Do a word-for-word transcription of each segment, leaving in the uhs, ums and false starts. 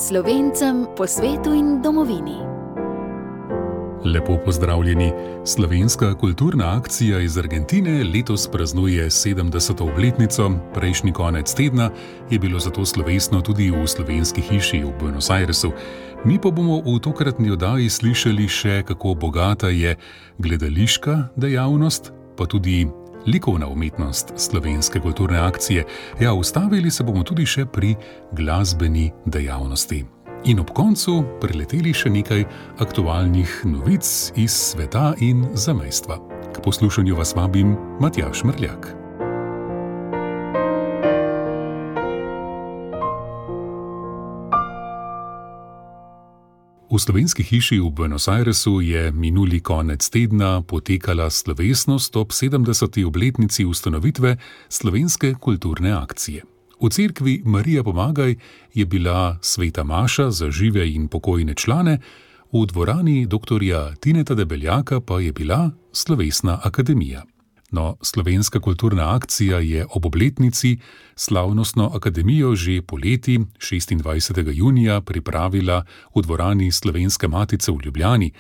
Slovencem po svetu in domovini. Lepo pozdravljeni. Slovenska kulturna akcija iz Argentine letos praznuje sedemdeseto obletnico. Prejšnji konec tedna je bilo zato slovesno tudi v Slovenski hiši v Buenos Airesu. Mi pa bomo v tokratni oddaji slišali še, kako bogata je gledališka dejavnost, pa tudi likovna umetnost slovenske kulturne akcije. Ja, ustavili se bomo tudi še pri glasbeni dejavnosti. In ob koncu preleteli še nekaj aktualnih novic iz sveta in zamejstva. K poslušanju vas vabim Matjaž Mrljak. V Slovenski hiši v Buenos Airesu je minuli konec tedna potekala slovesnost ob sedemdeseti obletnici ustanovitve Slovenske kulturne akcije. V cerkvi Marija Pomagaj je bila sveta maša za žive in pokojne člane, v dvorani doktorja Tineta Debeljaka pa je bila slovesna akademija. No, Slovenska kulturna akcija je ob obletnici slavnostno akademijo že poleti šestindvajsetega junija pripravila v dvorani Slovenske matice v Ljubljani.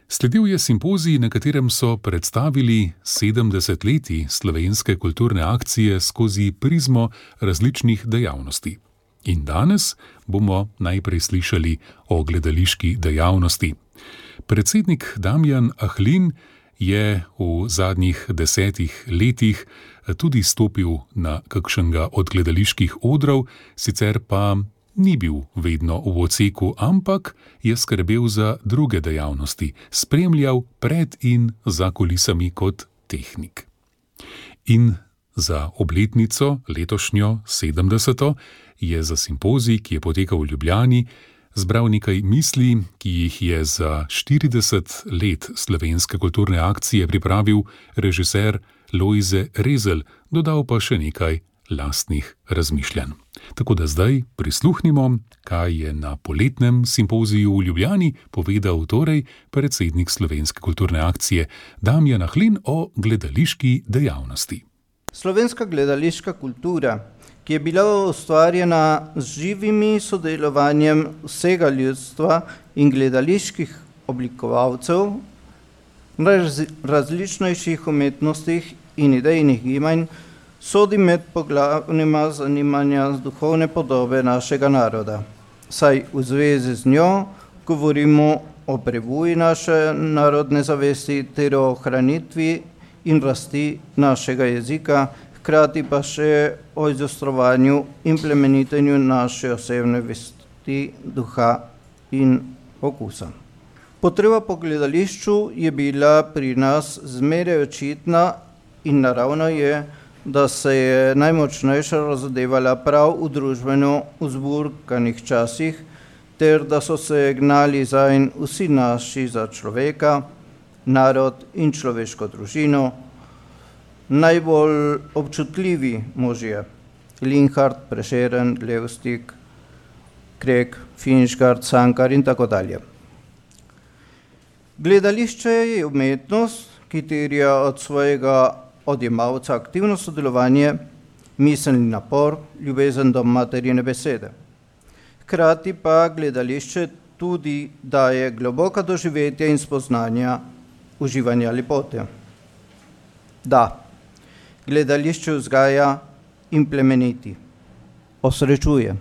Sledil je simpozij, na katerem so predstavili sedemdeset letij slovenske kulturne akcije skozi prizmo različnih dejavnosti. In danes bomo najprej slišali o gledališki dejavnosti. Predsednik Damjan Ahlin je v zadnjih desetih letih tudi stopil na kakšnega od gledaliških odrov, sicer pa ni bil vedno v odseku, ampak je skrbel za druge dejavnosti, spremljal pred in za kulisami kot tehnik. In za obletnico, letošnjo sedemdeseto, je za simpozij, ki je potekal v Ljubljani, zbral nekaj misli, ki jih je za štirideset let slovenske kulturne akcije pripravil režiser Lojze Rezelj, dodal pa še nekaj lastnih razmišljanj. Tako da zdaj prisluhnimo, kaj je na poletnem simpoziju v Ljubljani povedal torej predsednik Slovenske kulturne akcije Damjan Ahlin o gledališki dejavnosti. Slovenska gledališka kultura, ki je bila ustvarjena z živimi sodelovanjem vsega ljudstva in gledaliških oblikovalcev, različnejših umetnostih in idejnih gibanj, sodi med poglavnima zanimanja z duhovne podobe našega naroda. Saj v zvezi z njo govorimo o prebuji naše narodne zavesti ter o ohranitvi in rasti našega jezika, hkrati pa še o izostrovanju in plemenitenju naše osebne vesti, duha in okusa. Potreba po gledališču je bila pri nas zmeraj očitna in naravno je, da se je najmočnejša razodevala prav v družbeno uzburkanih časih, ter da so se gnali zanj vsi naši za človeka, narod in človeško družino, najbolj občutljivi možje, Linhart, Prešeren, Levstik, Krek, Finšgard, Cankar in tako dalje. Gledališče je umetnost, ki terja od svojega odjemalca aktivno sodelovanje, miselni napor, ljubezen do materijine besede. Hkrati pa gledališče tudi daje globoka doživetja in spoznanja uživanja lepote. Da, gledališče vzgaja in plemeniti, osrečuje.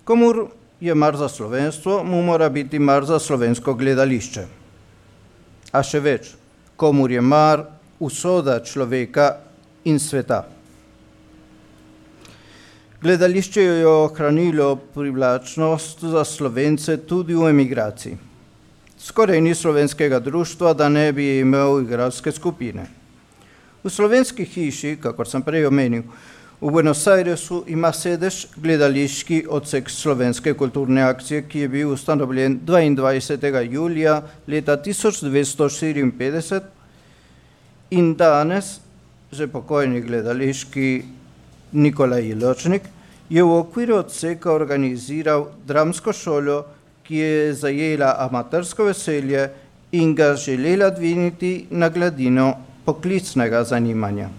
Komur je mar za slovenstvo, mu mora biti mar za slovensko gledališče. A še več, komur je mar usoda človeka in sveta. Gledališče je ohranilo privlačnost za Slovence tudi v emigraciji. Skoraj ni slovenskega društva, da ne bi imel igralske skupine. V Slovenski hiši, kakor sem prej omenil, v Buenos Airesu ima sedež gledališki odsek Slovenske kulturne akcije, ki je bil ustanovljen dvaindvajsetega julija leta tisoč devetsto štiriinpetdeset in danes že pokojni gledališki Nikolaj Iločnik je v okviru odseka organiziral dramsko šolo, ki je zajela amatersko veselje in ga želela dvigniti na gladino poklicnega zanimanja.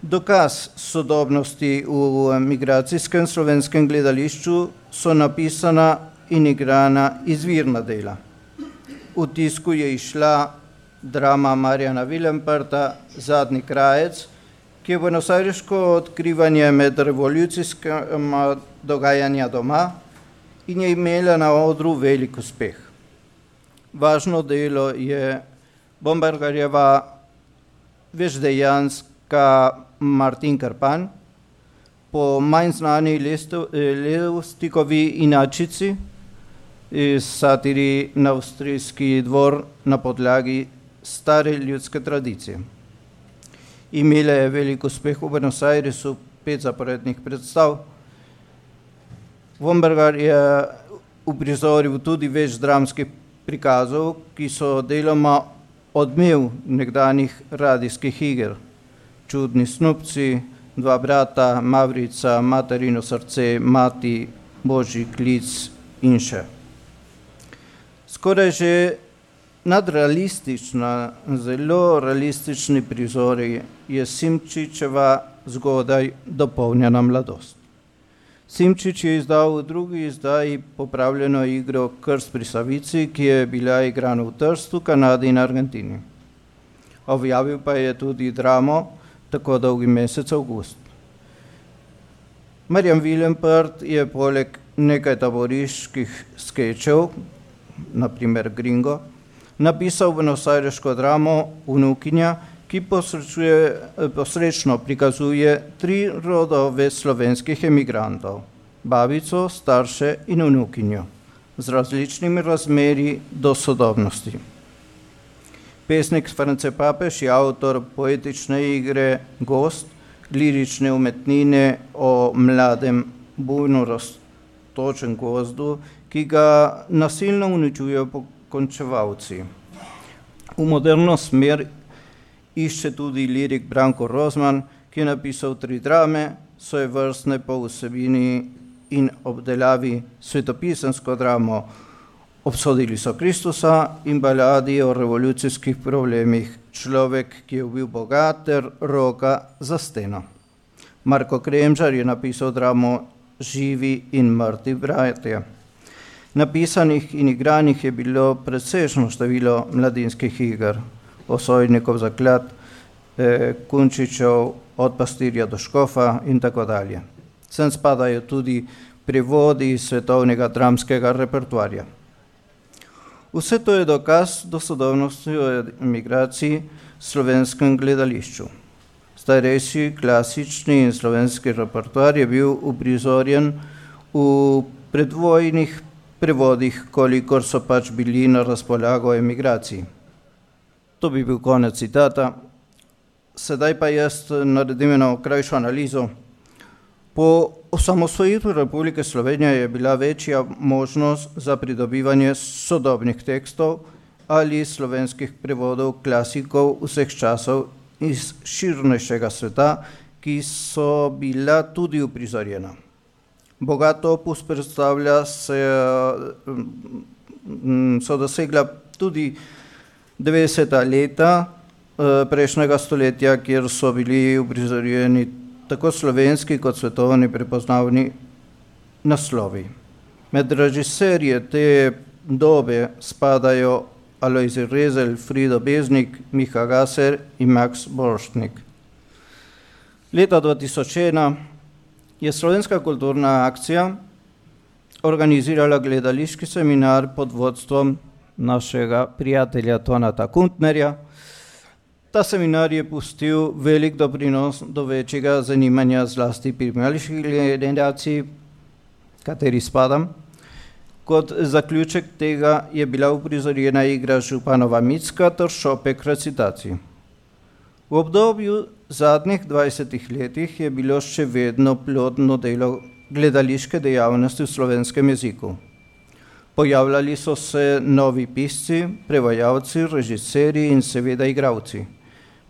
Dokaz sodobnosti v migracijskem slovenskem gledališču so napisana in igrana izvirna dela. V tisku je išla drama Marjana Vilemperta Zadnji krajec, ki je buenosajriško odkrivanje med revolucijskima dogajanja doma in je imela na odru velik uspeh. Važno delo je Bombergarjeva večdejanska Martin Krpan po manj znani Levstikovi inačici iz satiri na avstrijski dvor na podlagi stare ljudske tradicije. Imela je velik uspeh v Buenos Airesu, pet zaporednih predstav. Vombergar je uprizoril tudi več dramskih prikazov, ki so deloma odmev nekdanjih radijskih iger. Čudni snupci, Dva brata, Mavrica, Materino srce, Mati, Božji klic in še. Skoraj že nadrealistična, zelo realistični prizori je Simčičeva zgodaj dopolnjena mladost. Simčič je izdal v drugi izdaji popravljeno igro Krst pri Savici, ki je bila igrana v Trstu, Kanadi in Argentini. Objavil pa je tudi dramo Tako dolgi mesec avgust. Marjan Vilempert je poleg nekaj taboriških skečev, na primer Gringo, napisal buenosajriško dramo Vnukinja, ki posrečno prikazuje tri rodove slovenskih emigrantov, babico, starše in vnukinjo, z različnimi razmeri do sodobnosti. Pesnik France Papež je avtor poetične igre Gost, lirične umetnine o mladem, bujno rastočem gozdu, ki ga nasilno uničujejo pokončevalci. V moderno smer išče tudi lirik Branko Rozman, ki je napisal tri drame, svojevrstne po vsebini in obdelavi svetopisemsko dramo Obsodili so Kristusa in baladi o revolucijskih problemih Človek, ki je ubil Boga ter Roka za steno. Marko Kremžar je napisal dramo Živi in mrtvi bratje. Napisanih in igranih je bilo precejšno število mladinskih iger, Osojnikov zaklad, eh, Kunčičev, Od pastirja do škofa in tako dalje. Sem spadajo tudi prevodi iz svetovnega dramskega repertoarja. Vse to je dokaz dosodobnosti o emigraciji v slovenskem gledališču. Starejši, klasični in slovenski repertoar je bil uprizorjen v predvojnih prevodih, kolikor so pač bili na razpolago o emigraciji. To bi bil konec citata. Sedaj pa jaz naredim eno krajšo analizo. Po osamosvojitvi Republike Slovenije je bila večja možnost za pridobivanje sodobnih tekstov ali slovenskih prevodov klasikov vseh časov iz širnejšega sveta, ki so bila tudi uprizorjena. Bogat opus predstavlja se, so dosegla tudi devetdeseta leta prejšnjega stoletja, kjer so bili uprizorjeni tako slovenski kot svetovni prepoznavni naslovi. Med režiserje te dobe spadajo Alojzij Rezelj, Frido Beznik, Miha Gaser in Max Borštnik. Leta dva tisoč ena je Slovenska kulturna akcija organizirala gledališki seminar pod vodstvom našega prijatelja Tonata Kuntnerja. Ta seminar je pustil velik doprinos do večjega zanimanja zlasti pri mlajših generaciji, kateri spadam. Kot zaključek tega je bila uprizorjena igra Županova Micka ter šopek recitacij. V obdobju zadnjih dvajsetih letih je bilo še vedno plodno delo gledališke dejavnosti v slovenskem jeziku. Pojavljali so se novi pisci, prevajalci, režiserji in seveda igralci.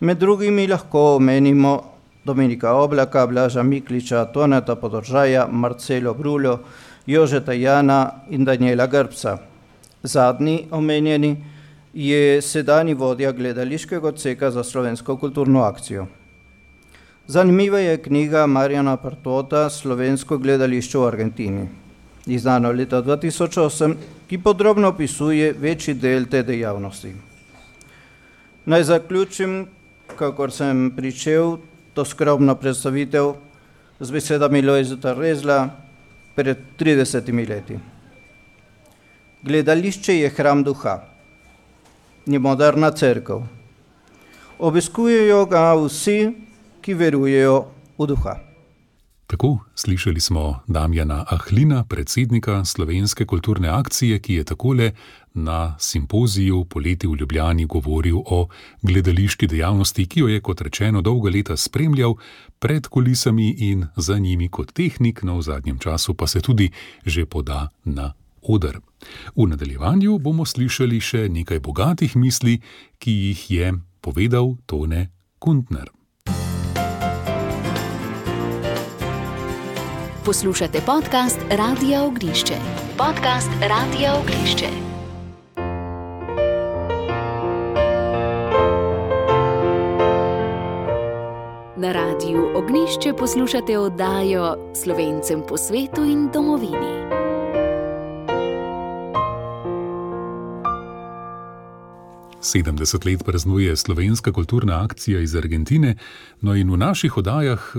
Med drugimi lahko omenimo Dominika Oblaka, Blaža Mikliča, Toneta Podržaja, Marcelo Bruljo, Jožeta Jana in Daniela Grbca. Zadnji omenjeni je sedanji vodja gledališkega odseka za slovensko kulturno akcijo. Zanimiva je knjiga Marjana Partota Slovensko gledališče v Argentini, izdana leta dva tisoč osem, ki podrobno opisuje večji del te dejavnosti. Naj zaključim, kakor sem pričel, to skromno predstavitev z besedami Lojzeta Rezla pred tridesetimi leti. Gledališče je hram duha, ni moderna cerkev. Obiskujejo ga vsi, ki verujejo v duha. Tako slišali smo Damjana Ahlina, predsednika Slovenske kulturne akcije, ki je takole na simpoziju poleti v Ljubljani govoril o gledališki dejavnosti, ki jo je, kot rečeno, dolga leta spremljal pred kulisami in za njimi kot tehnik, no v zadnjem času pa se tudi že poda na oder. V nadaljevanju bomo slišali še nekaj bogatih misli, ki jih je povedal Tone Kuntner. Poslušate podcast Radia Ognjišče. Podcast Radia Ognjišče. Na Radiu Ognjišče poslušate oddajo Slovencem po svetu in domovini. sedemdeset let praznuje Slovenska kulturna akcija iz Argentine, no in v naših oddajah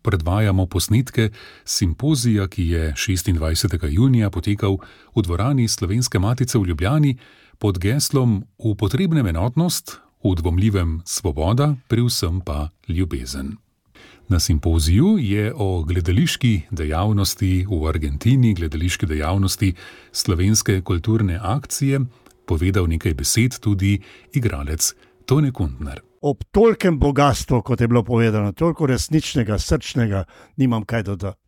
predvajamo posnetke simpozija, ki je šestindvajsetega junija potekal v dvorani Slovenske matice v Ljubljani pod geslom V potrebnem enotnost, v dvomljivem svoboda, pri vsem pa ljubezen. Na simpoziju je o gledališki dejavnosti v Argentini, gledališki dejavnosti Slovenske kulturne akcije, povedal nekaj besed tudi igralec Tone Kuntner. Ob tolkem bogatstvu, kot je bilo povedano, toliko resničnega, srčnega, nimam kaj dodati.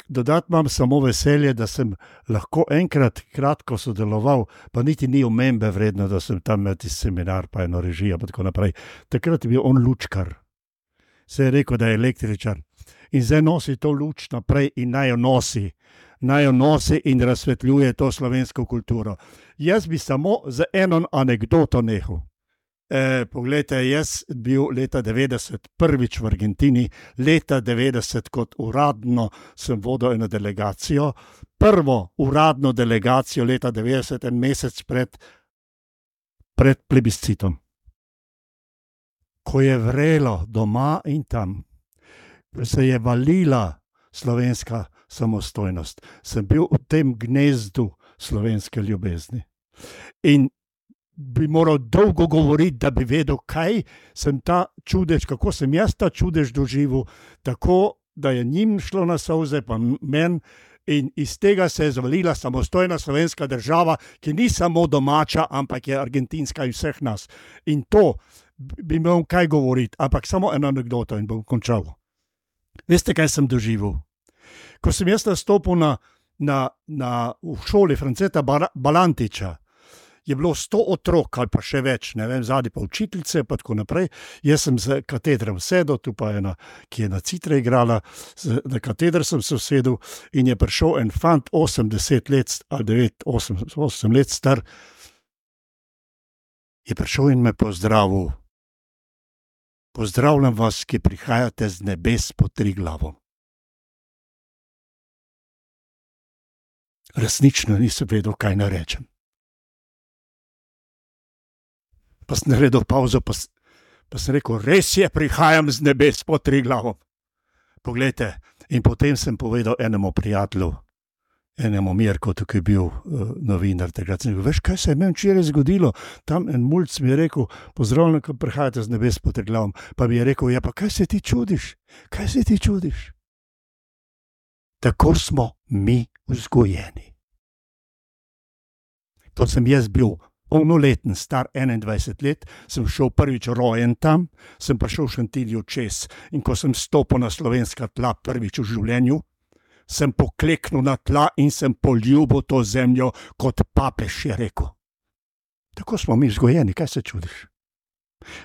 Dodati imam samo veselje, da sem lahko enkrat kratko sodeloval, pa niti ni omembe vredno, da sem tam imel tisti seminar, pa eno režijo, pa tako naprej. Takrat je bil on lučkar. Se je rekel, da je električar. In zdaj nosi to luč naprej in naj jo nosi. Naj jo nosi in razsvetljuje to slovensko kulturo. Jaz bi samo za eno anekdoto nehal. E, poglejte, jaz bil leta devetdeset prvič v Argentini, leta devetdeset kot uradno sem vodil eno delegacijo, prvo uradno delegacijo leta devetdeset, en mesec pred, pred plebiscitom. Ko je vrelo doma in tam, se je valila slovenska samostojnost, sem bil v tem gnezdu slovenske ljubezni. In bi moral dolgo govoriti, da bi vedel, kaj sem ta čudež, kako sem jaz ta čudež doživel, tako, da je njim šlo na solze, pa men, in iz tega se je zavalila samostojna slovenska država, ki ni samo domača, ampak je argentinska in vseh nas. In to bi imel kaj govoriti, ampak samo eno anekdoto in bom končal. Veste, kaj sem doživel? Ko sem jaz nastopil na, na, na, v šoli Franceta Balantiča, je bilo sto otrok ali pa še več, ne vem, zadnji pa učiteljice, pa tako naprej. Jaz sem z katedrem sedel, tu pa ena, ki je na citre igrala, na katedr sem se sedel in je prišel en fant, osemdeset let, ali devet, osem, osem let star, je prišel in me pozdravil. Pozdravljam vas, ki prihajate z nebes pod Triglavom. Resnično nisem vedel, kaj narečem. Pa sem naredil pauzo, pa, pa sem rekel, res je, prihajam z nebes pod Triglavom. Poglejte, in potem sem povedal enemu prijatelju, enemu Mirku, tukaj je bil uh, novinar, takrat sem rekel, veš, kaj se je meni včeraj zgodilo? Tam en mulc mi je rekel, pozdravljam, ko prihajate z nebes pod Triglavom. Pa mi je rekel, ja, pa kaj se ti čudiš? Kaj se ti čudiš? Tako smo mi vzgojeni. To sem jaz bil polnoleten, star enaindvajset let, sem šel prvič rojen tam, sem prišel v Šentilju čez in ko sem stopil na slovenska tla prvič v življenju, sem pokleknil na tla in sem poljubil to zemljo, kot papež je rekel. Tako smo mi vzgojeni, kaj se čudiš?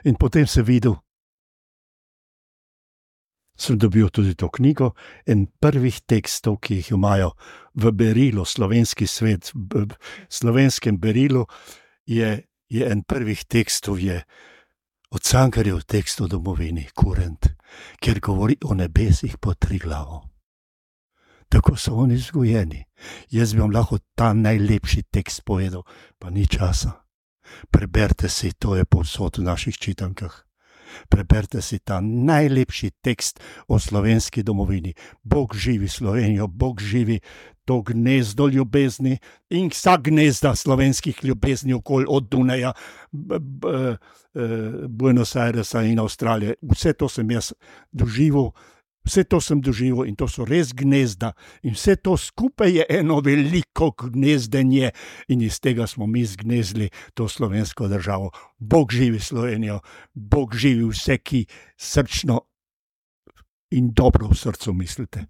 In potem sem videl, sem dobil tudi to knjigo in prvih tekstov, ki jih imajo v berilu, slovenski svet, v slovenskem berilu, je, je en prvih tekstov, je od Cankarjev tekst o domovini, Kurent. ker govori o nebesih pod Triglavom. Tako so oni vzgojeni. Jaz bi vam lahko ta najlepši tekst povedal, pa ni časa. Preberite si, to je povsod v naših čitankah. Preberite si ta najlepši tekst o slovenski domovini. Bog živi Slovenijo, Bog živi to gnezdo ljubezni in vsa gnezda slovenskih ljubezni okoli od Dunaja, b, b, b, Buenos Airesa in Avstralije. Vse to sem jaz doživel, vse to sem doživel in to so res gnezda in vse to skupaj je eno veliko gnezdenje in iz tega smo mi zgnezli to slovensko državo. Bog živi Slovenijo, Bog živi vse, ki srčno in dobro v srcu mislite.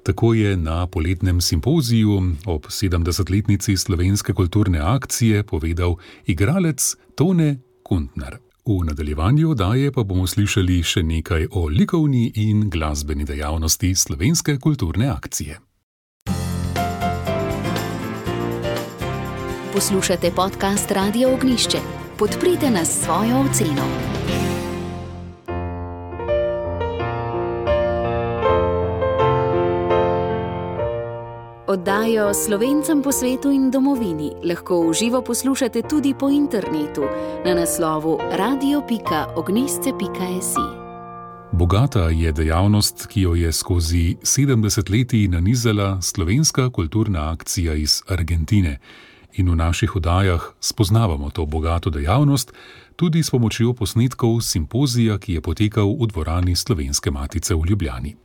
Tako je na poletnem simpoziju ob sedemdesetletnici slovenske kulturne akcije povedal igralec Tone Kuntner. V nadaljevanju oddaje pa bomo slišali še nekaj o likovni in glasbeni dejavnosti slovenske kulturne akcije. Poslušate podcast Radia Ognjišče. Podprite nas s svojo oceno. Oddajo Slovencem po svetu in domovini lahko v živo poslušate tudi po internetu na naslovu radio pika ognjišče pika es i. Bogata je dejavnost, ki jo je skozi sedemdeset letij nanizala slovenska kulturna akcija iz Argentine. In v naših oddajah spoznavamo to bogato dejavnost tudi s pomočjo posnetkov simpozija, ki je potekal v dvorani Slovenske matice v Ljubljani.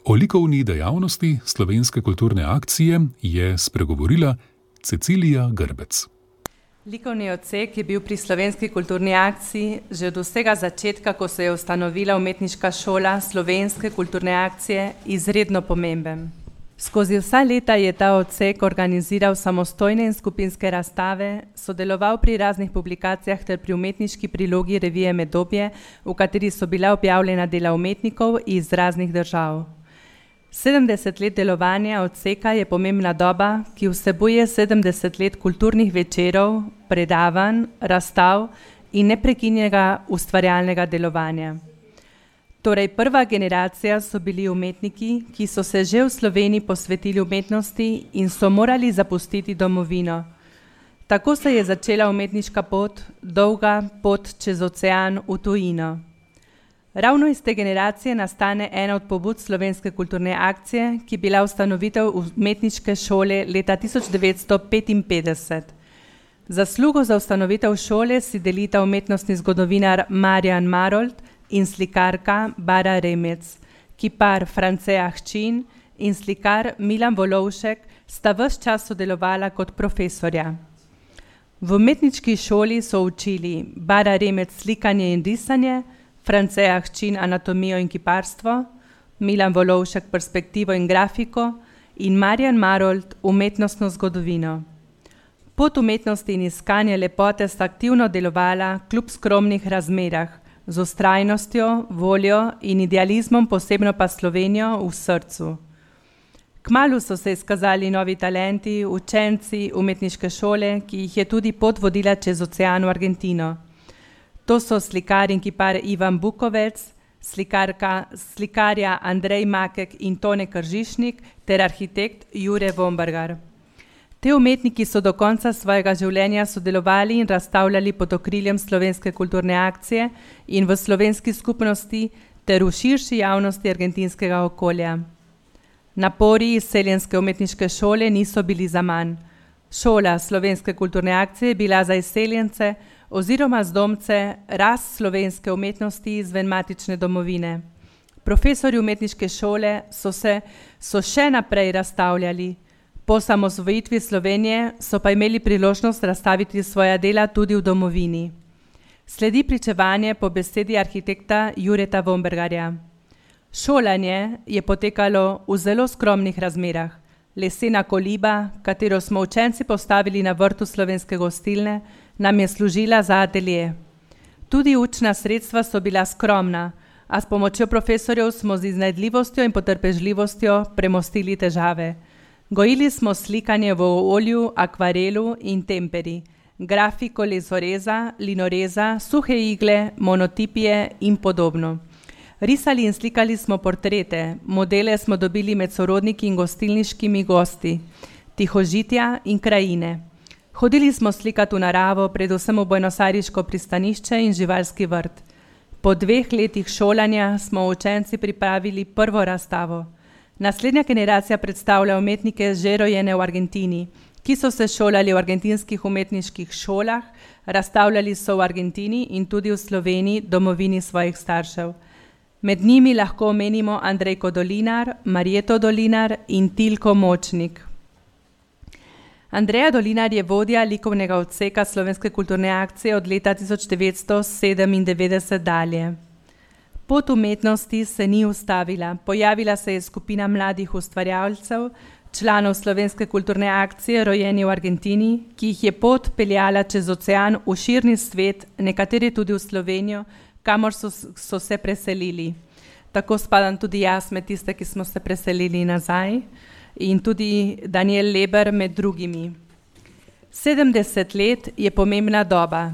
O likovni dejavnosti slovenske kulturne akcije je spregovorila Cecilija Grbec. Likovni odsek je bil pri slovenski kulturni akciji že od vsega začetka, ko se je ustanovila umetniška šola slovenske kulturne akcije, izredno pomemben. Skozi vsa leta je ta odsek organiziral samostojne in skupinske razstave, sodeloval pri raznih publikacijah ter pri umetniški prilogi revije Medobje, v kateri so bila objavljena dela umetnikov iz raznih držav. sedemdeset let delovanja odseka je pomembna doba, ki vsebuje sedemdeset let kulturnih večerov, predavanj, razstav in neprekinjenega ustvarjalnega delovanja. Torej, prva generacija so bili umetniki, ki so se že v Sloveniji posvetili umetnosti in so morali zapustiti domovino. Tako se je začela umetniška pot, dolga pot čez ocean v tujino. Ravno iz te generacije nastane ena od pobud slovenske kulturne akcije, ki je bila ustanovitev umetniške šole leta tisoč devetsto petinpetdeset. Zaslugo za ustanovitev šole si delita umetnostni zgodovinar Marjan Marolt in slikarka Bara Remec, kipar France Ahčin in slikar Milan Volovšek sta ves čas sodelovala kot profesorja. V umetniški šoli so učili Bara Remec slikanje in risanje, France Ahčin anatomijo in kiparstvo, Milan Volovšek perspektivo in grafiko in Marjan Marolt umetnostno zgodovino. Pot umetnosti in iskanje lepote sta aktivno delovala kljub skromnih razmerah, z vztrajnostjo, voljo in idealizmom, posebno pa Slovenijo v srcu. Kmalu so se izkazali novi talenti, učenci umetniške šole, ki jih je tudi pot vodila čez ocean v Argentino. To so slikar in kipar Ivan Bukovec, slikarka, slikarja Andrej Makek in Tone Kržišnik ter arhitekt Jure Vombergar. Te umetniki so do konca svojega življenja sodelovali in razstavljali pod okriljem slovenske kulturne akcije in v slovenski skupnosti ter v širši javnosti argentinskega okolja. Napori izseljenske umetniške šole niso bili zaman. Šola slovenske kulturne akcije je bila za izseljence oziroma zdomce rast slovenske umetnosti izven matične domovine. Profesorji umetniške šole so se so še naprej razstavljali. Po samosvojitvi Slovenije so pa imeli priložnost razstaviti svoja dela tudi v domovini. Sledi pričevanje po besedi arhitekta Jureta Vombergarja. Šolanje je potekalo v zelo skromnih razmerah. Lesena koliba, katero smo učenci postavili na vrtu slovenske gostilne, nam je služila za atelje. Tudi učna sredstva so bila skromna, a s pomočjo profesorjev smo z iznajdljivostjo in potrpežljivostjo premostili težave. Gojili smo slikanje v olju, akvarelu in temperi, grafiko lezoreza, linoreza, suhe igle, monotipije in podobno. Risali in slikali smo portrete, modele smo dobili med sorodniki in gostilniškimi gosti, tihožitja in krajine. Hodili smo slikati v naravo, predvsem v buenosajriško pristanišče in živalski vrt. Po dveh letih šolanja smo učenci pripravili prvo razstavo. Naslednja generacija predstavlja umetnike že rojene v Argentini, ki so se šolali v argentinskih umetniških šolah, razstavljali so v Argentini in tudi v Sloveniji, domovini svojih staršev. Med njimi lahko omenimo Andrejko Dolinar, Marjeto Dolinar in Tilko Močnik. Andreja Dolinar je vodja likovnega odseka Slovenske kulturne akcije od leta tisoč devetsto sedemindevetdeset dalje. Pot umetnosti se ni ustavila, pojavila se je skupina mladih ustvarjalcev, članov Slovenske kulturne akcije, rojeni v Argentini, ki jih je pot peljala čez ocean v širni svet, nekateri tudi v Slovenijo, kamor so, so se preselili. Tako spadam tudi jaz med tiste, ki smo se preselili nazaj, in tudi Daniel Leber med drugimi. sedemdeset let je pomembna doba.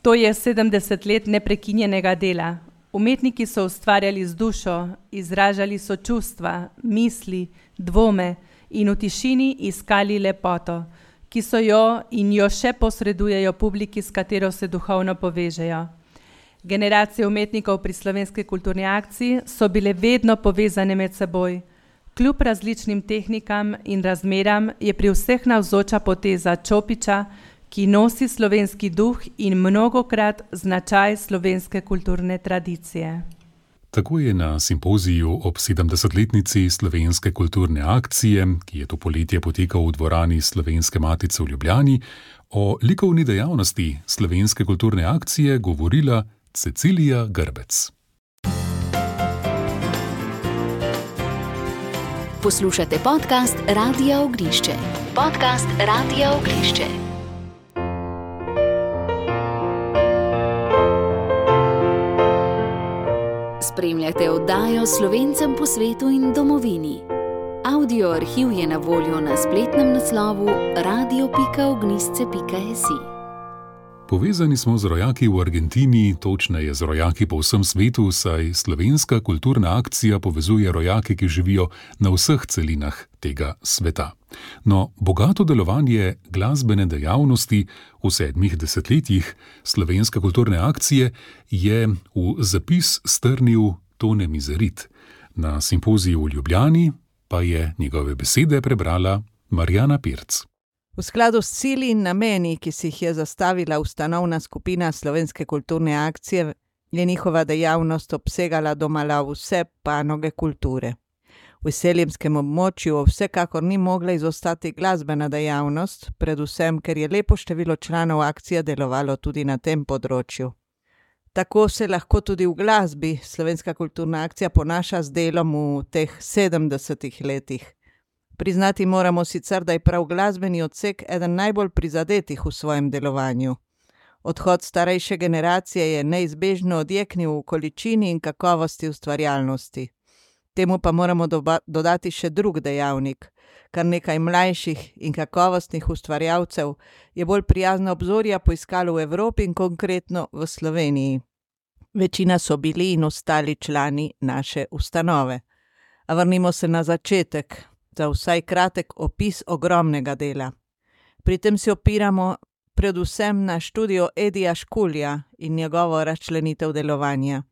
To je sedemdeset let neprekinjenega dela. Umetniki so ustvarjali z dušo, izražali so čustva, misli, dvome in v tišini iskali lepoto, ki so jo in jo še posredujejo publiki, s katero se duhovno povežejo. Generacije umetnikov pri Slovenski kulturni akciji so bile vedno povezane med seboj. Kljub različnim tehnikam in razmeram je pri vseh navzoča poteza Čopiča, ki nosi slovenski duh in mnogokrat značaj slovenske kulturne tradicije. Tako je na simpoziju ob sedemdesetletnici Slovenske kulturne akcije, ki je to poletje potekal v dvorani Slovenske matice v Ljubljani, o likovni dejavnosti Slovenske kulturne akcije govorila Cecilija Grbec. Poslušate podcast Radia Ognišče. Podcast Radia Ognišče. Spremljate oddajo Slovencem po svetu in domovini. Audio arhiv je na voljo na spletnem naslovu radio pika ognisce pika si. Povezani smo z rojaki v Argentini, točneje z rojaki po vsem svetu, saj Slovenska kulturna akcija povezuje rojake, ki živijo na vseh celinah tega sveta. No, bogato delovanje glasbene dejavnosti v sedmih desetletjih Slovenske kulturne akcije je v zapis strnil Tone Mizerit. Na simpoziju v Ljubljani pa je njegove besede prebrala Marjana Pirc. V skladu s cilji in nameni, ki si jih je zastavila ustanovna skupina Slovenske kulturne akcije, je njihova dejavnost obsegala domala vse panoge kulture. V Izseljemskem območju vsekakor ni mogla izostati glasbena dejavnost, predvsem ker je lepo število članov akcije delovalo tudi na tem področju. Tako se lahko tudi v glasbi Slovenska kulturna akcija ponaša z delom v teh sedemdesetih letih. Priznati moramo sicer, da je prav glasbeni odsek eden najbolj prizadetih v svojem delovanju. Odhod starejše generacije je neizbežno odjeknil v količini in kakovosti ustvarjalnosti. Temu pa moramo doba- dodati še drug dejavnik. Kar nekaj mlajših in kakovostnih ustvarjalcev je bolj prijazna obzorja poiskalo v Evropi in konkretno v Sloveniji. Večina so bili in ostali člani naše ustanove. A vrnimo se na začetek. Za vsaj kratek opis ogromnega dela. Pri tem se opiramo predvsem na študijo Edija Škulja in njegovo razčlenitev delovanja.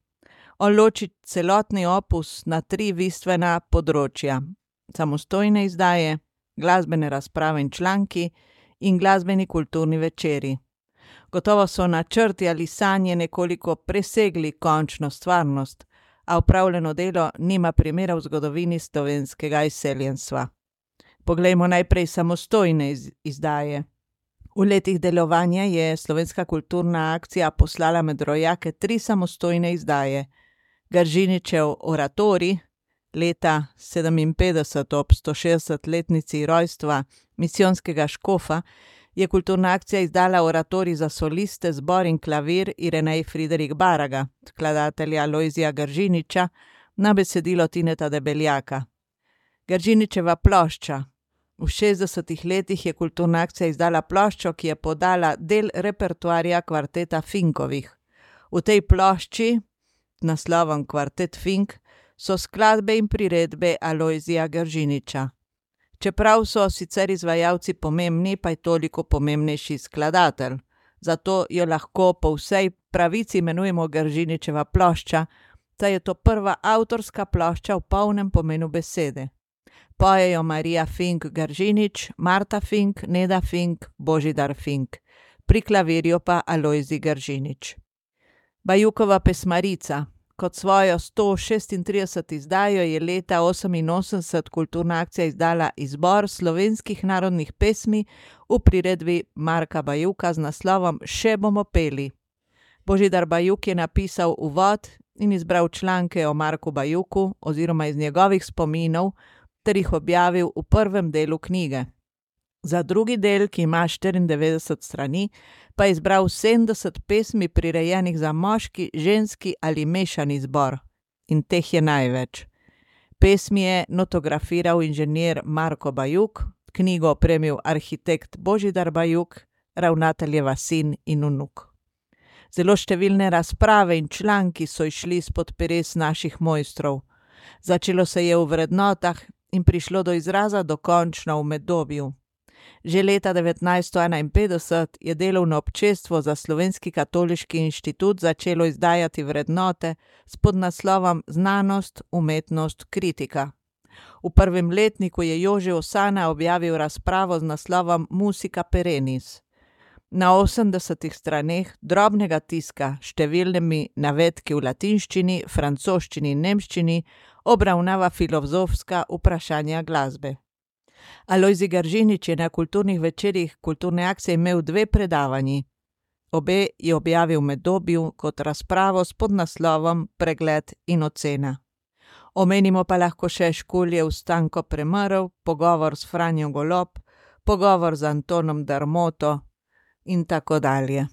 On loči celotni opus na tri bistvena področja: samostojne izdaje, glasbene razprave in članki in glasbeni kulturni večeri. Gotovo so načrti ali sanje nekoliko presegli končno stvarnost, a opravljeno delo nima primera v zgodovini slovenskega izseljenstva. Poglejmo najprej samostojne iz- izdaje. V letih delovanja je Slovenska kulturna akcija poslala med rojake tri samostojne izdaje. Gržiničev oratorij, leta sedeminpetdeset ob stošestdesetletnici rojstva misijonskega škofa, je kulturna akcija izdala oratorij za soliste, zbor in klavir Irenej Friderik Baraga, skladatelja Lojzija Gržiniča, na besedilo Tineta Debeljaka. Gržiničeva plošča. V šestdesetih letih je kulturna akcija izdala ploščo, ki je podala del repertoarja kvarteta Finkovih. V tej plošči naslovom Kvartet Fink so skladbe in priredbe Alojzija Gržiniča. Čeprav so sicer izvajalci pomembni, pa je toliko pomembnejši skladatelj. Zato jo lahko po vsej pravici imenujemo Gržiničeva plošča, saj je to prva avtorska plošča v polnem pomenu besede. Pojejo Marija Fink Gržinič, Marta Fink, Neda Fink, Božidar Fink. Pri klavirju pa Alojzij Gržinič. Bajukova pesmarica. Kot svojo sto šestintrideseto izdajo je leta oseminosemdeset Kulturna akcija izdala izbor slovenskih narodnih pesmi v priredbi Marka Bajuka z naslovom Še bomo peli. Božidar Bajuk je napisal uvod in izbral članke o Marku Bajuku oziroma iz njegovih spominov ter jih objavil v prvem delu knjige. Za drugi del, ki ima štiriindevetdeset strani, pa je izbral sedemdeset pesmi prirejenih za moški, ženski ali mešani zbor. In teh je največ. Pesmi je notografiral inženir Marko Bajuk, knjigo opremil arhitekt Božidar Bajuk, ravnateljeva sin in vnuk. Zelo številne razprave in članki so išli spod peres naših mojstrov. Začelo se je v vrednotah in prišlo do izraza dokončno v Medobju. Že leta devetnajststo enainpetdeset je delovno občestvo za Slovenski katoliški inštitut začelo izdajati vrednote s podnaslovom Znanost, umetnost, kritika. V prvem letniku je Jože Osana objavil razpravo z naslovom Musica perennis. Na osemdesetih straneh drobnega tiska s številnimi navedki v latinščini, francoščini in nemščini obravnava filozofska vprašanja glasbe. Alojzij Gržinič je na kulturnih večerih Kulturne akcije imel dve predavanji. Obe je objavil v Medobju kot razpravo s podnaslovom Pregled in ocena. Omenimo pa lahko še Škuljev Stanko Premrl, pogovor s Franjo Golob, pogovor z Antonom Darmoto in tako dalje.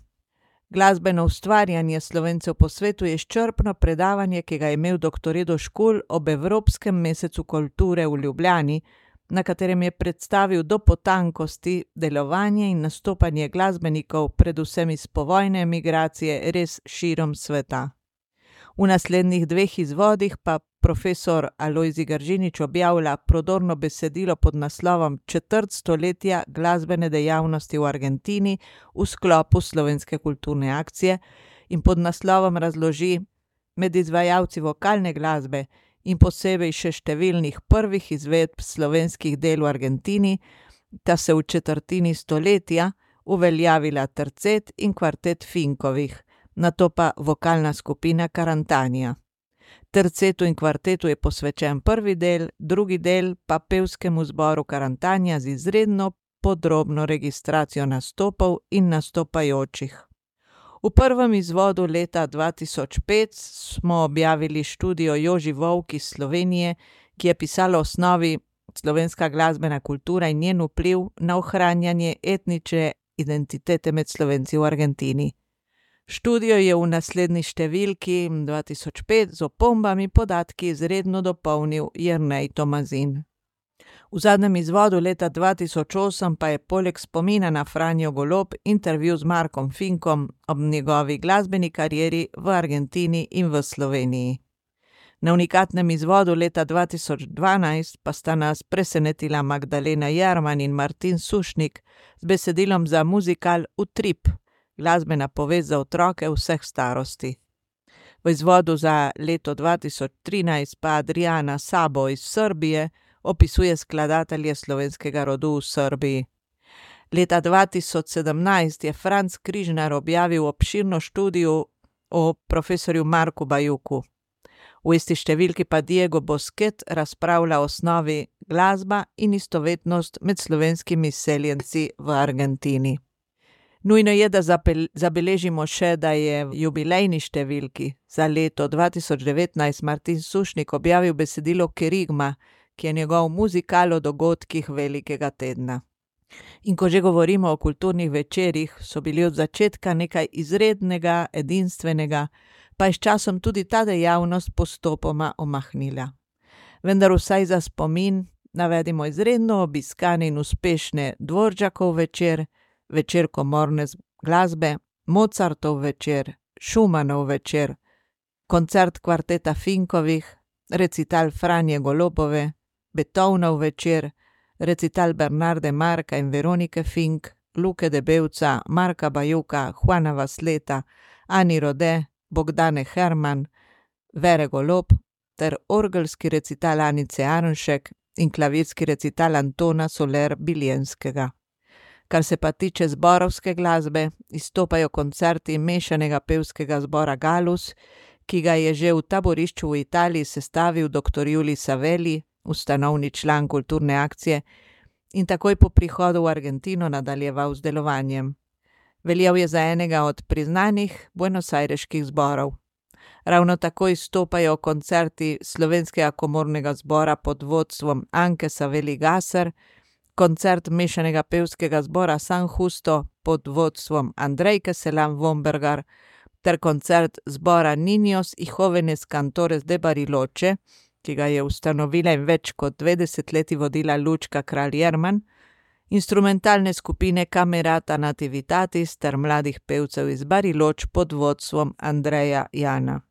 Glasbeno ustvarjanje Slovencev po svetu je izčrpno predavanje, ki ga je imel doktor Edo Škulj ob Evropskem mesecu kulture v Ljubljani, na katerem je predstavil do potankosti delovanje in nastopanje glasbenikov, predvsem iz povojne emigracije, res širom sveta. V naslednjih dveh izvodih pa profesor Alojzij Gržinič objavlja prodorno besedilo pod naslovom Četrt stoletja glasbene dejavnosti v Argentini v sklopu Slovenske kulturne akcije in pod naslovom razloži med izvajalci vokalne glasbe in posebej še številnih prvih izvedb slovenskih del v Argentini, da se v četrtini stoletja uveljavila tercet in kvartet Finkovih, nato pa vokalna skupina Karantanija. Tercetu in kvartetu je posvečen prvi del, drugi del pa pevskemu zboru Karantanija z izredno podrobno registracijo nastopov in nastopajočih. V prvem izvodu leta dva tisoč pet smo objavili študijo Joži Volk iz Slovenije, ki je pisala o osnovi slovenska glasbena kultura in njen vpliv na ohranjanje etnične identitete med Slovenci v Argentini. Študijo je v naslednji številki dva tisoč pet z opombami podatki izredno dopolnil Jernej Tomazin. V zadnjem izvodu leta dva tisoč osem pa je poleg spomina na Franjo Golob intervju z Markom Finkom ob njegovi glasbeni karieri v Argentini in v Sloveniji. Na unikatnem izvodu leta dva tisoč dvanajst pa sta nas presenetila Magdalena Jerman in Martin Sušnik z besedilom za muzikal Utrip, glasbena povest za otroke vseh starosti. V izvodu za leto dva tisoč trinajst pa Adriana Sabo iz Srbije opisuje skladatelje slovenskega rodu v Srbiji. Leta dva tisoč sedemnajst je Franc Križnar objavil obširno študijo o profesorju Marku Bajuku. V isti številki pa Diego Bosquet razpravlja o osnovi glasba in istovetnost med slovenskimi seljenci v Argentini. Nujno je, da zabeležimo še, da je v jubilejni številki za leto dva tisoč devetnajst Martin Sušnik objavil besedilo Kerigma, ki je njegov muzikal o dogodkih velikega tedna. In ko že govorimo o kulturnih večerih, so bili od začetka nekaj izrednega, edinstvenega, pa je s časom tudi ta dejavnost postopoma omahnila. Vendar vsaj za spomin navedimo izredno obiskane in uspešne Dvoržakov večer, večer komorne glasbe, Mozartov večer, Schumannov večer, koncert kvarteta Finkovih, recital Franje Golobove, Beethovenov večer, recital Bernarde Marka in Veronike Fink, Luke Debevca, Marka Bajuka, Juana Vasleta, Ani Rode, Bogdane Herman, Vere Golob ter orgelski recital Anice Arnšek in klavirski recital Antona Soler Biljenskega. Kar se pa tiče zborovske glasbe, izstopajo koncerti mešanega pevskega zbora Galus, ki ga je že v taborišču v Italiji sestavil dr. Julij Savelli, ustanovni član kulturne akcije, in takoj po prihodu v Argentino nadaljeval z delovanjem. Veljal je za enega od priznanih buenosajreških zborov. Ravno tako izstopajo koncerti Slovenskega komornega zbora pod vodstvom Anke Savelli Gasser, koncert mešanega pevskega zbora San Justo pod vodstvom Andrejke Selam Vombergar ter koncert zbora Niños y Jóvenes Cantores de Bariloche, ki ga je ustanovila in več kot dve desetletji vodila Lučka Kralj Jerman, instrumentalne skupine Camerata Nativitatis ter mladih pevcev iz Bariloč pod vodstvom Andreja Jana.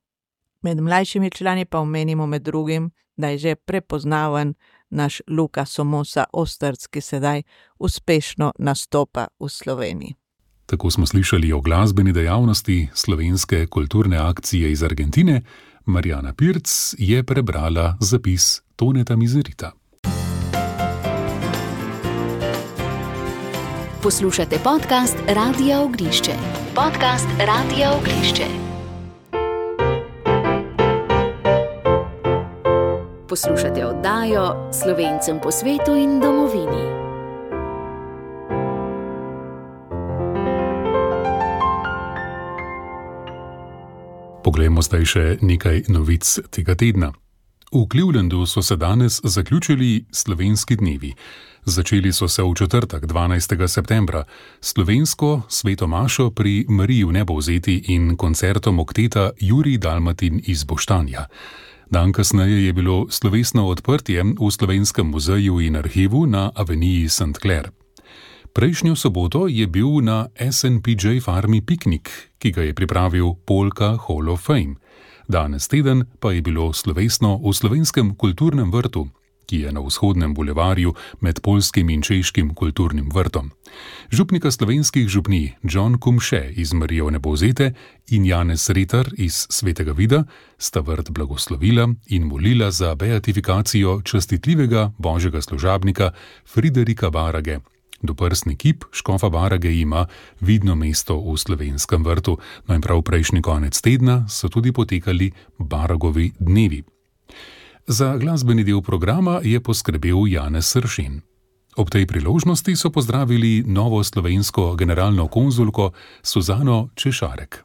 Med mlajšimi člani pa omenimo med drugim, da je že prepoznaven naš Luka Somosa Osterc, ki sedaj uspešno nastopa v Sloveniji. Tako smo slišali o glasbeni dejavnosti slovenske kulturne akcije iz Argentine. Marjana Pirc je prebrala zapis Toneta Mizerita. Poslušate podcast Radia Oglišče. Podcast Radia Oglišče. Poslušate oddajo Slovencem po svetu in domovini. Poglejmo zdaj še nekaj novic tega tedna. V Clevelandu so se danes zaključili slovenski dnevi. Začeli so se v četrtek, dvanajstega septembra, slovensko sveto mašo pri Mariji Vnebovzeti in koncertom okteta Jurij Dalmatin iz Boštanja. Dan kasneje je bilo slovesno odprtje v Slovenskem muzeju in arhivu na aveniji Saint Clair. Prejšnjo soboto je bil na S and P J farmi piknik, ki ga je pripravil Polka Hall of Fame. Danes teden pa je bilo slovesno v Slovenskem kulturnem vrtu, ki je na vzhodnem bulevarju med poljskim in češkim kulturnim vrtom. Župnika slovenskih župnij John Kumše iz Marije Vnebovzete in Janez Retar iz Svetega Vida sta vrt blagoslovila in molila za beatifikacijo častitljivega božjega služabnika Friderika Barage. Doprsni kip škofa Barage ima vidno mesto v slovenskem vrtu, no in prav prejšnji konec tedna so tudi potekali Baragovi dnevi. Za glasbeni del programa je poskrbel Janez Sršen. Ob tej priložnosti so pozdravili novo slovensko generalno konzulko Suzano Češarek.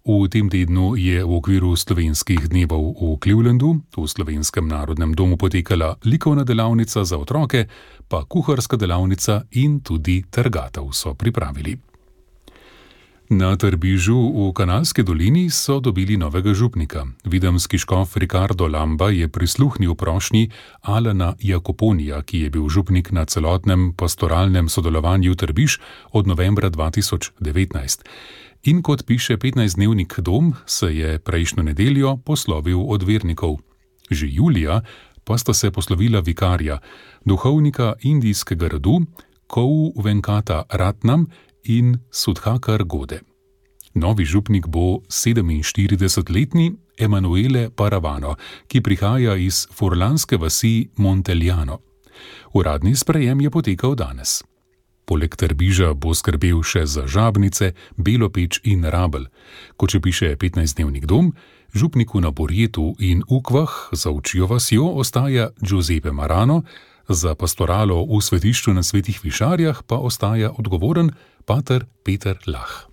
V tem tednu je v okviru slovenskih dnevov v Clevelandu v Slovenskem narodnem domu potekala likovna delavnica za otroke, pa kuharska delavnica in tudi trgatev so pripravili. Na Trbižu v Kanalski dolini so dobili novega župnika. Videmski škof Ricardo Lamba je prisluhnil prošnji Alana Jakoponija, ki je bil župnik na celotnem pastoralnem sodelovanju Trbiž od novembra dva tisoč devetnajst. In kot piše petnajstdnevnik Dom, se je prejšnjo nedeljo poslovil od vernikov. Že julija pa sta se poslovila vikarja, duhovnika indijskega rodu Kou Venkata Ratnam in Sudhakar Gode. Novi župnik bo sedeminštiridesetletni Emanuele Paravano, ki prihaja iz furlanske vasi Monteljano. Uradni sprejem je potekal danes. Poleg Trbiža bo skrbel še za Žabnice, Belopeč in Rabelj. Kot še piše petnajstdnevnik Dom, župniku na Borjetu in Ukvah za Učjo vasjo ostaja Giuseppe Marano, za pastoralo v svetišču na Svetih Višarjah pa ostaja odgovoren pater Peter Lah.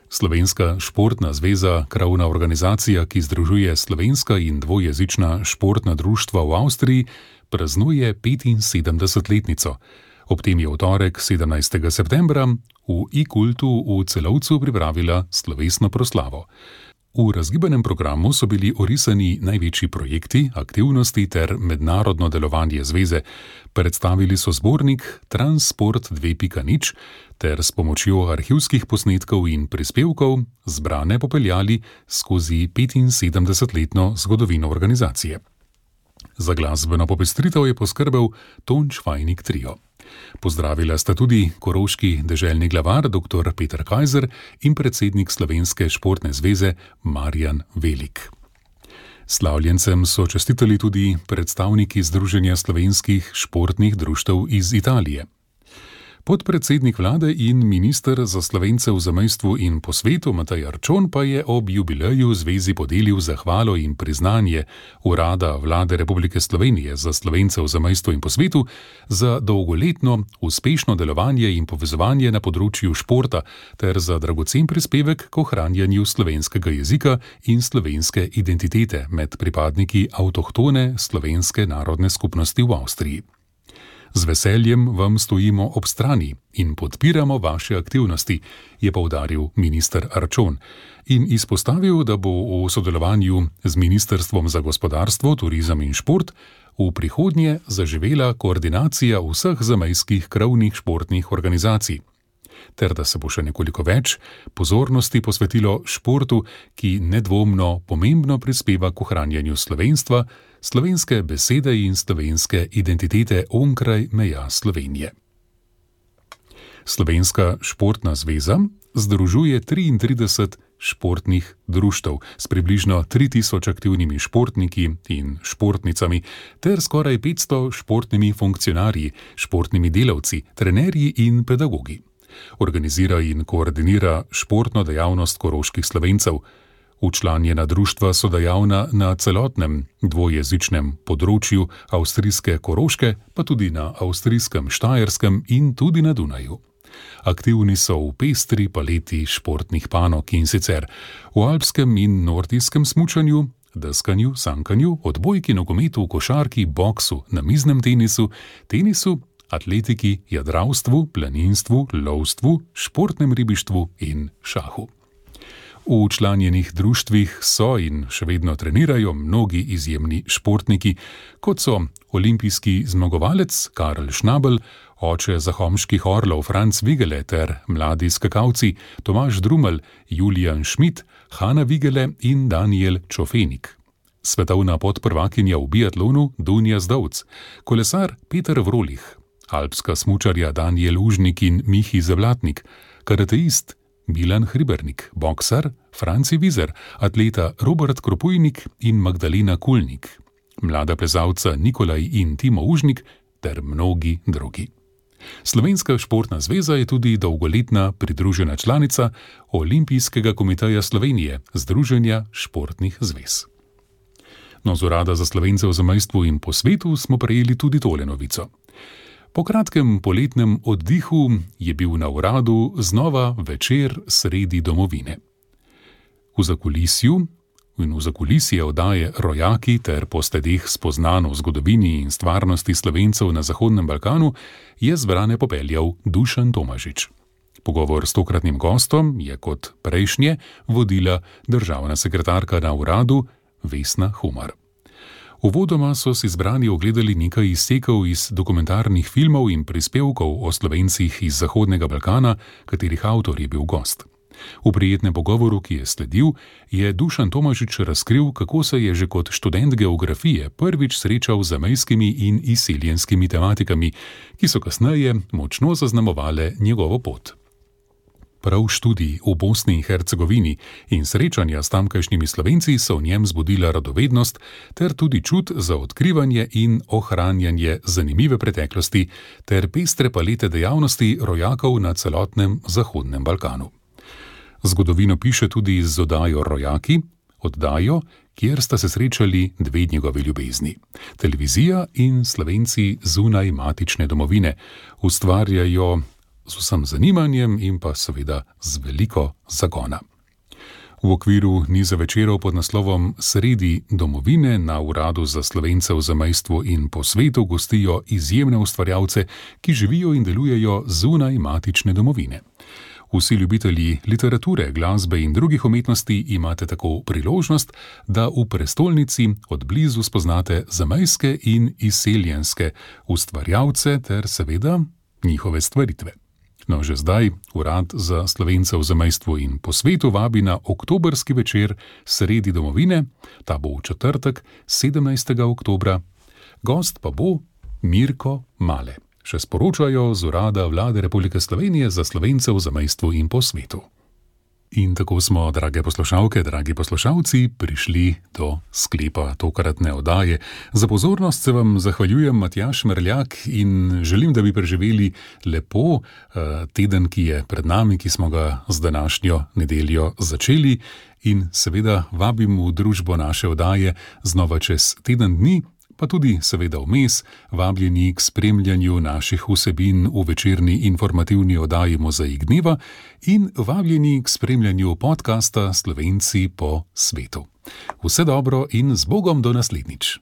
Slovenska športna zveza, krovna organizacija, ki združuje slovenska in dvojezična športna društva v Avstriji, praznuje petinsedemdesetletnico. Ob tem je v torek, sedemnajstega septembra, v I-kultu v Celovcu pripravila slovesno proslavo. V razgibanem programu so bili orisani največji projekti, aktivnosti ter mednarodno delovanje zveze. Predstavili so zbornik Transport dve pika nič ter s pomočjo arhivskih posnetkov in prispevkov zbrane popeljali skozi petinsedemdesetletno zgodovino organizacije. Za glasbeno popestritev je poskrbel Tonč Fajnik Trio. Pozdravila sta tudi koroški deželni glavar dr. Peter Kajzer in predsednik Slovenske športne zveze Marjan Velik. Slavljencem so čestitali tudi predstavniki Združenja slovenskih športnih društev iz Italije. Podpredsednik vlade in minister za Slovence v zamejstvu in po svetu Matej Arčon pa je ob jubileju zvezi podelil zahvalo in priznanje Urada Vlade Republike Slovenije za Slovence v zamejstvu in po svetu za dolgoletno uspešno delovanje in povezovanje na področju športa ter za dragocen prispevek k ohranjanju slovenskega jezika in slovenske identitete med pripadniki avtohtone slovenske narodne skupnosti v Avstriji. Z veseljem vam stojimo ob strani in podpiramo vaše aktivnosti, je poudaril minister Arčon in izpostavil, da bo v sodelovanju z Ministrstvom za gospodarstvo, turizem in šport v prihodnje zaživela koordinacija vseh zamejskih krovnih športnih organizacij, ter da se bo še nekoliko več pozornosti posvetilo športu, ki nedvomno pomembno prispeva k ohranjanju slovenstva, slovenske besede in slovenske identitete onkraj meja Slovenije. Slovenska športna zveza združuje triintrideset športnih društev s približno tri tisoč aktivnimi športniki in športnicami ter skoraj petsto športnimi funkcionarji, športnimi delavci, trenerji in pedagogi. Organizira in koordinira športno dejavnost koroških Slovencev. Včlanjena društva so dejavna na celotnem dvojezičnem področju avstrijske Koroške, pa tudi na avstrijskem Štajerskem in tudi na Dunaju. Aktivni so v pestri paleti športnih panog in sicer v alpskem in nordijskem smučanju, deskanju, sankanju, odbojki, nogometu, košarki, boksu, namiznem tenisu, tenisu, atletiki, jadralstvu, planinstvu, lovstvu, športnem ribištvu in šahu. V včlanjenih društvih so in še vedno trenirajo mnogi izjemni športniki, kot so olimpijski zmagovalec Karl Schnabel, oče zahomških orlov Franc Vigele ter mladi skakalci Tomaž Drumelj, Julijan Schmidt, Hanna Vigele in Daniel Čofenik. Svetovna podprvakinja v biatlonu Dunja Zdovc, kolesar Peter Vrolih, alpska smučarja Daniel Užnik in Mihi Zavlatnik, karateist Milan Hribernik, boksar Franci Vizer, atleta Robert Kropujnik in Magdalena Kulnik, mlada plezalca Nikolaj in Timo Užnik ter mnogi drugi. Slovenska športna zveza je tudi dolgoletna pridružena članica Olimpijskega komiteja Slovenije, Združenja športnih zvez. No, z Urada za Slovence v zamejstvu in po svetu smo prejeli tudi tole novico. Po kratkem poletnem oddihu je bil na uradu znova večer sredi domovine. V zakulisju in v zakulisje oddaje Rojaki ter po sledeh spoznano v zgodovini in stvarnosti Slovencev na Zahodnem Balkanu je zbrane popeljal Dušan Tomažič. Pogovor s tokratnim gostom je kot prejšnje vodila državna sekretarka na uradu Vesna Humar. Uvodoma so si zbrani ogledali nekaj izsekov iz dokumentarnih filmov in prispevkov o Slovencih iz Zahodnega Balkana, katerih avtor je bil gost. V prijetnem pogovoru, ki je sledil, je Dušan Tomažič razkril, kako se je že kot študent geografije prvič srečal z zamejskimi in izseljenskimi tematikami, ki so kasneje močno zaznamovale njegovo pot. Prav študij v Bosni in Hercegovini in srečanja s tamkajšnjimi Slovenci so v njem zbudila radovednost ter tudi čut za odkrivanje in ohranjanje zanimive preteklosti ter pestre palete dejavnosti rojakov na celotnem Zahodnem Balkanu. Zgodovino piše tudi z oddajo Rojaki, oddajo, kjer sta se srečali dve njegovi ljubezni. Televizija in Slovenci zunaj matične domovine ustvarjajo z vsem zanimanjem in pa seveda z veliko zagona. V okviru niza večerov pod naslovom Sredi domovine na Uradu za Slovence v zamejstvu in po svetu gostijo izjemne ustvarjalce, ki živijo in delujejo zunaj matične domovine. Vsi ljubitelji literature, glasbe in drugih umetnosti imate tako priložnost, da v prestolnici od blizu spoznate zamejske in izseljenske ustvarjalce ter seveda njihove stvaritve. No, že zdaj Urad za Slovence v zamejstvu in po svetu vabi na oktobrski večer Sredi domovine, ta bo v četrtek, sedemnajstega oktobra. Gost pa bo Mirko Male. Še sporočajo z Urada Vlade Republike Slovenije za Slovence v zamejstvu in po svetu. In tako smo, drage poslušalke, dragi poslušalci, prišli do sklepa tokratne oddaje. Za pozornost se vam zahvaljujem, Matjaž Merljak, in želim, da bi preživeli lepo teden, ki je pred nami, ki smo ga z današnjo nedeljo začeli, in seveda vabim v družbo naše oddaje znova čez teden dni, pa tudi seveda vmes, vabljeni k spremljanju naših vsebin v večerni informativni oddaji Mozaik dneva in vabljeni k spremljanju podcasta Slovenci po svetu. Vse dobro in z Bogom do naslednjič.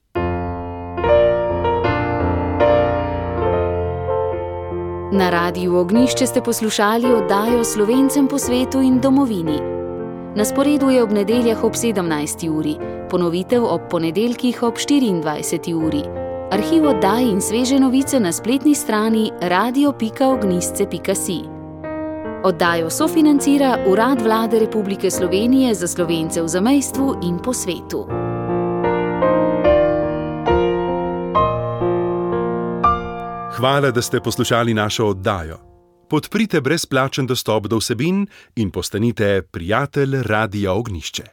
Na Radiu Ognjišče ste poslušali oddajo Slovencem po svetu in domovini. Na sporedu je ob nedeljah ob sedemnajsti uri, ponovitev ob ponedeljkih ob štiriindvajseti uri. Arhiv oddaj in sveže novice na spletni strani radio pika ognjišče pika si. Oddajo sofinancira Urad Vlade Republike Slovenije za Slovence v zamejstvu in po svetu. Hvala, da ste poslušali našo oddajo. Podprite brezplačen dostop do vsebin in postanite prijatelj Radia Ognjišče.